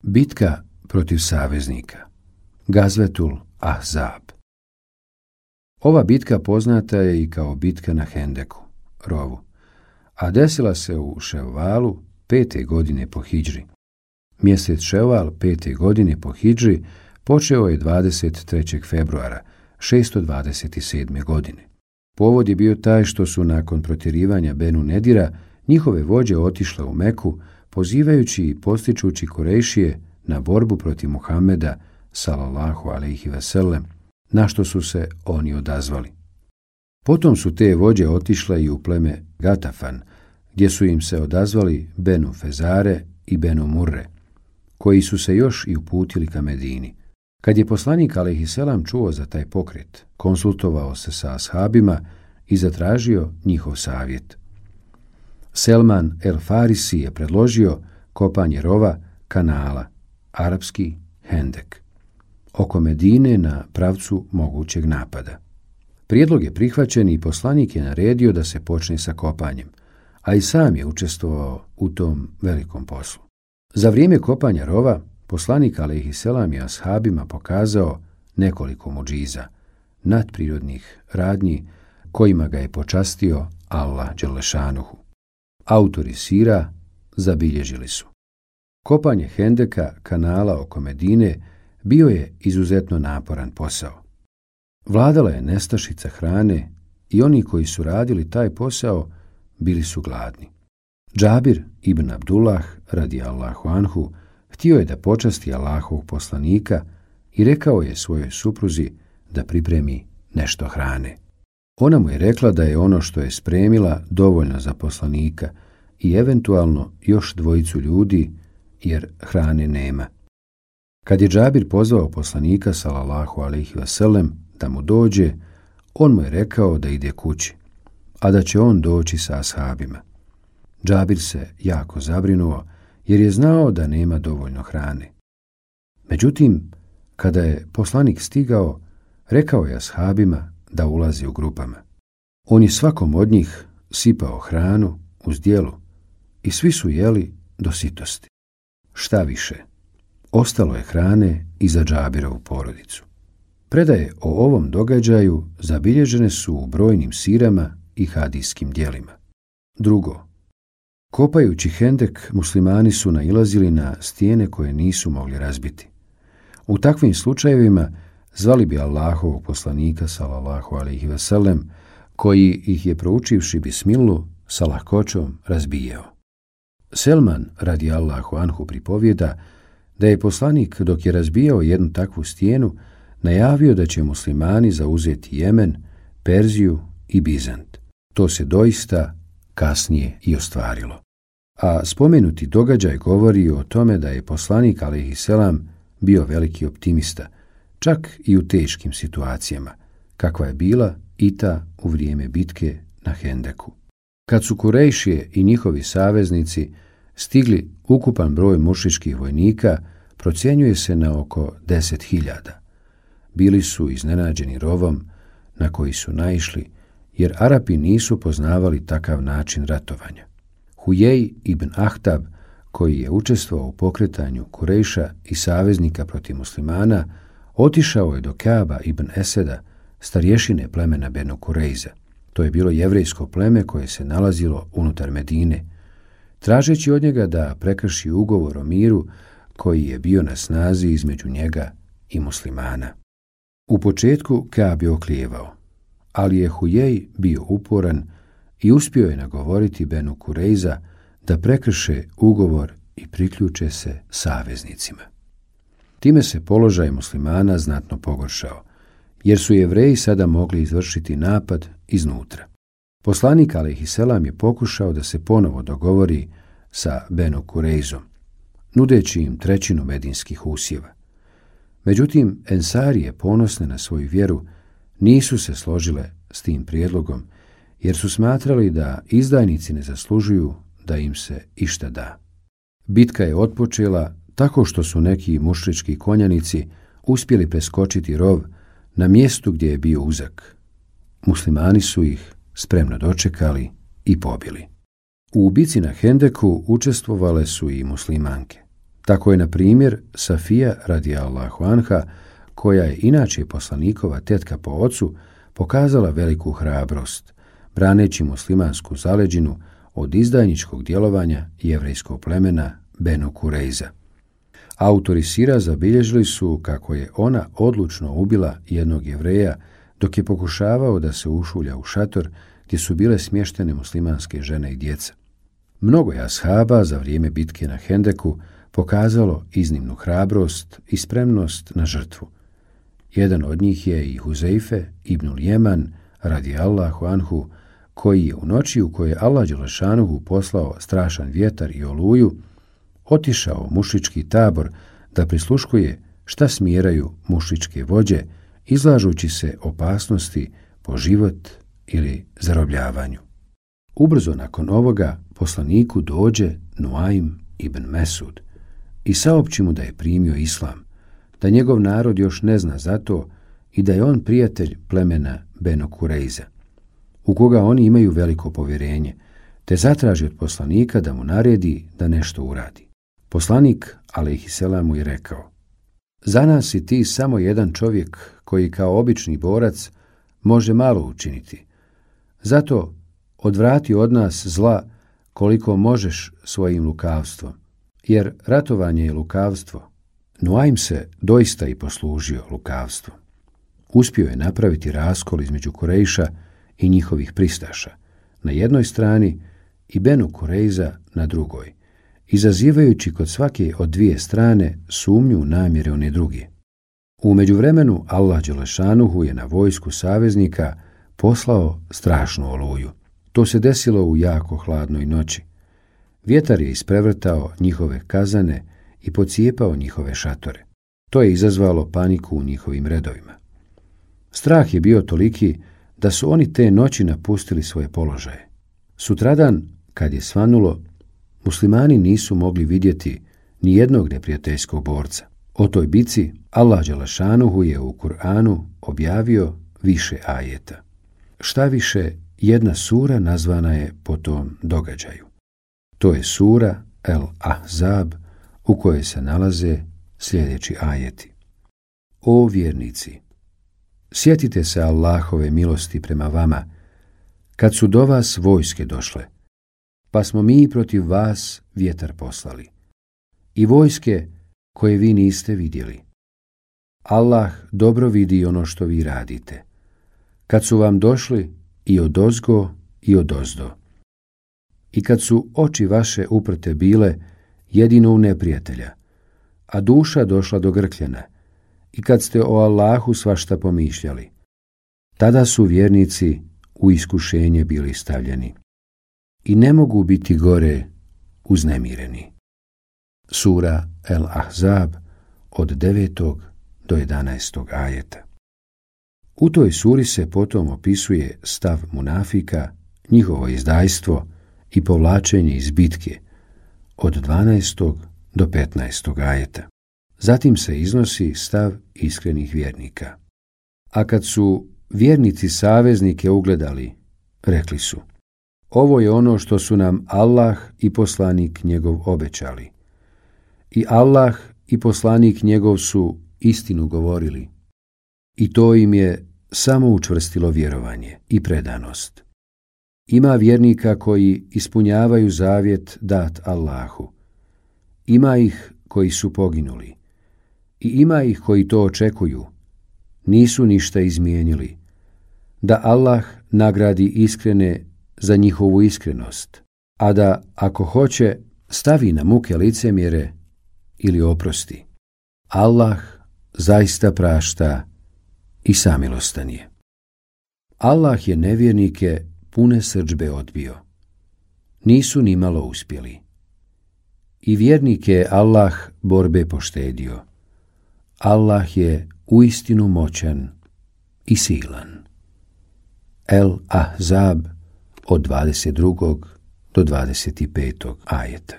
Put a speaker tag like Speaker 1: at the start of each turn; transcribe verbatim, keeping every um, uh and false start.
Speaker 1: Bitka protiv saveznika. Gazvetul Ahzab. Ova bitka poznata je i kao bitka na Hendeku, rovu, a desila se u Ševvalu pete godine po hidžri. Mjesec Ševval pete godine po hidžri počeo je dvadeset trećeg februara šesto dvadeset sedme. godine. Povod je bio taj što su nakon protjerivanja Benu Nedira njihove vođe otišle u Meku, pozivajući i postičući Kurejšije na borbu protiv Muhameda sallallahu alejhi ve sellem, na što su se oni odazvali. Potom su te vođe otišle i u pleme Gatafan, gdje su im se odazvali Benu Fezare i Benu Murre, koji su se još i uputili ka Medini. Kad je poslanik alejhi selam čuo za taj pokret, konsultovao se sa ashabima i zatražio njihov savjet. Selman el Farisi je predložio kopanje rova kanala, arapski Hendek, oko Medine na pravcu mogućeg napada. Prijedlog je prihvaćen i poslanik je naredio da se počne sa kopanjem, a i sam je učestvovao u tom velikom poslu. Za vrijeme kopanja rova, poslanik alejhi selam je ashabima pokazao nekoliko mudžiza, nadprirodnih radnji kojima ga je počastio Allah dželešanuhu. Autori sira zabilježili su: kopanje Hendeka, kanala oko Medine, bio je izuzetno naporan posao. Vladala je nestašica hrane i oni koji su radili taj posao bili su gladni. Džabir ibn Abdullah radijallahu anhu htio je da počasti Allahovog poslanika i rekao je svojoj supruzi da pripremi nešto hrane. Ona mu je rekla da je ono što je spremila dovoljno za poslanika i eventualno još dvojicu ljudi, jer hrane nema. Kad je Džabir pozvao poslanika sallallahu alejhi ve sellem da mu dođe, on mu je rekao da ide kući, a da će on doći sa ashabima. Džabir se jako zabrinuo jer je znao da nema dovoljno hrane. Međutim, kada je poslanik stigao, rekao je ashabima da ulazi u grupama. On je svakom od njih sipao hranu uz djelu i svi su jeli do sitosti. Šta više, ostalo je hrane i za Džabirovu porodicu. Predaje o ovom događaju zabilježene su u brojnim sirama i hadijskim djelima. Drugo, kopajući Hendek, muslimani su nailazili na stijene koje nisu mogli razbiti. U takvim slučajevima zvali bi Allahovog poslanika sallallahu alejhi ve sellem, koji ih je proučivši bismilu sa lahkoćom razbijao. Selman radijallahu anhu pripovijeda da je poslanik, dok je razbijao jednu takvu stijenu, najavio da će muslimani zauzeti Jemen, Perziju i Bizant. To se doista kasnije i ostvarilo. A spomenuti događaj govori o tome da je poslanik alejhi selam bio veliki optimista, čak i u teškim situacijama, kakva je bila i ta u vrijeme bitke na Hendeku. Kad su Kurejšije i njihovi saveznici stigli, ukupan broj mušičkih vojnika procjenjuje se na oko deset hiljada. Bili su iznenađeni rovom na koji su naišli, jer Arapi nisu poznavali takav način ratovanja. Hujej ibn Ahtab, koji je učestvovao u pokretanju Kurejša i saveznika protiv muslimana, otišao je do Kaaba ibn Eseda, starješine plemena Benu Kurejza. To je bilo jevrejsko pleme koje se nalazilo unutar Medine, tražeći od njega da prekrši ugovor o miru koji je bio na snazi između njega i muslimana. U početku Kaab je oklijevao, ali je Hujej bio uporan i uspio je nagovoriti Benu Kurejza da prekrše ugovor i priključe se saveznicima. Time se položaj muslimana znatno pogoršao, jer su Jevreji sada mogli izvršiti napad iznutra. Poslanik alejhi selam je pokušao da se ponovo dogovori sa Benu Kurejzom, nudeći im trećinu medinskih usjeva. Međutim, Ensarije, ponosne na svoju vjeru, nisu se složile s tim prijedlogom, jer su smatrali da izdajnici ne zaslužuju da im se išta da. Bitka je otpočela tako što su neki mušrički konjanici uspjeli preskočiti rov na mjestu gdje je bio uzak. Muslimani su ih spremno dočekali i pobili. U bici na Hendeku učestvovale su i muslimanke. Tako je, na primjer, Safija radijallahu anha, koja je inače poslanikova tetka po ocu, pokazala veliku hrabrost, braneći muslimansku zaleđinu od izdajničkog djelovanja jevrejskog plemena Benu Kurejza. Autori sira zabilježili su kako je ona odlučno ubila jednog Jevreja dok je pokušavao da se ušulja u šator gdje su bile smještene muslimanske žene i djeca. Mnogo je ashaba za vrijeme bitke na Hendeku pokazalo iznimnu hrabrost i spremnost na žrtvu. Jedan od njih je i Huzeife ibnul Jeman radijallahu anhu, koji je u noći u kojoj je Allah dželešanuhu poslao strašan vjetar i oluju, otišao u mušički tabor da prisluškuje šta smjeraju mušičke vođe, izlažući se opasnosti po život ili zarobljavanju. Ubrzo nakon ovoga poslaniku dođe Nuaim ibn Mesud i saopći mu da je primio islam, da njegov narod još ne zna za to i da je on prijatelj plemena Benu Kurejza, u koga oni imaju veliko povjerenje, te zatraži od poslanika da mu naredi da nešto uradi. Poslanik, alejhiselam, mu je rekao: za nas si ti samo jedan čovjek koji kao obični borac može malo učiniti. Zato odvrati od nas zla koliko možeš svojim lukavstvom, jer ratovanje je lukavstvo. Nuaim se doista i poslužio lukavstvom. Uspio je napraviti raskol između Kurejša i njihovih pristaša na jednoj strani i Benu Kurejza na drugoj, izazivajući kod svake od dvije strane sumnju u namjere one druge. U međuvremenu Allah dželešanuhu je na vojsku saveznika poslao strašnu oluju. To se desilo u jako hladnoj noći. Vjetar je isprevrtao njihove kazane i pocijepao njihove šatore. To je izazvalo paniku u njihovim redovima. Strah je bio toliki da su oni te noći napustili svoje položaje. Sutradan, kad je svanulo, muslimani nisu mogli vidjeti ni jednog neprijateljskog borca. O toj bici Allah dželešanuhu je u Kur'anu objavio više ajeta. Šta više, jedna sura nazvana je po tom događaju. To je sura El Ahzab, u kojoj se nalaze sljedeći ajeti. O vjernici, sjetite se Allahove milosti prema vama, kad su do vas vojske došle, pa smo mi protiv vas vjetar poslali, i vojske koje vi niste vidjeli. Allah dobro vidi ono što vi radite, kad su vam došli i odozgo i odozdo, i kad su oči vaše uprte bile jedino u neprijatelja, a duša došla do grkljena, i kad ste o Allahu svašta pomišljali, tada su vjernici u iskušenje bili stavljeni i ne mogu biti gore uznemireni. Sura El Ahzab od devetog do jedanaestog ajeta. U toj suri se potom opisuje stav munafika, njihovo izdajstvo i povlačenje iz bitke od dvanaestog do petnaestog ajeta. Zatim se iznosi stav iskrenih vjernika. A kad su vjernici saveznike ugledali, rekli su: ovo je ono što su nam Allah i poslanik njegov obećali. I Allah i poslanik njegov su istinu govorili. I to im je samo učvrstilo vjerovanje i predanost. Ima vjernika koji ispunjavaju zavjet dat Allahu. Ima ih koji su poginuli. I ima ih koji to očekuju. Nisu ništa izmijenili. Da Allah nagradi iskrene za njihovu iskrenost, a da, ako hoće, stavi na muke licemjere ili oprosti. Allah zaista prašta i samilostan je. Allah je nevjernike pune srdžbe odbio. Nisu ni malo uspjeli. I vjernike je Allah borbe poštedio. Allah je uistinu moćan i silan. El Ahzab od dvadeset drugog do dvadeset petog ajeta.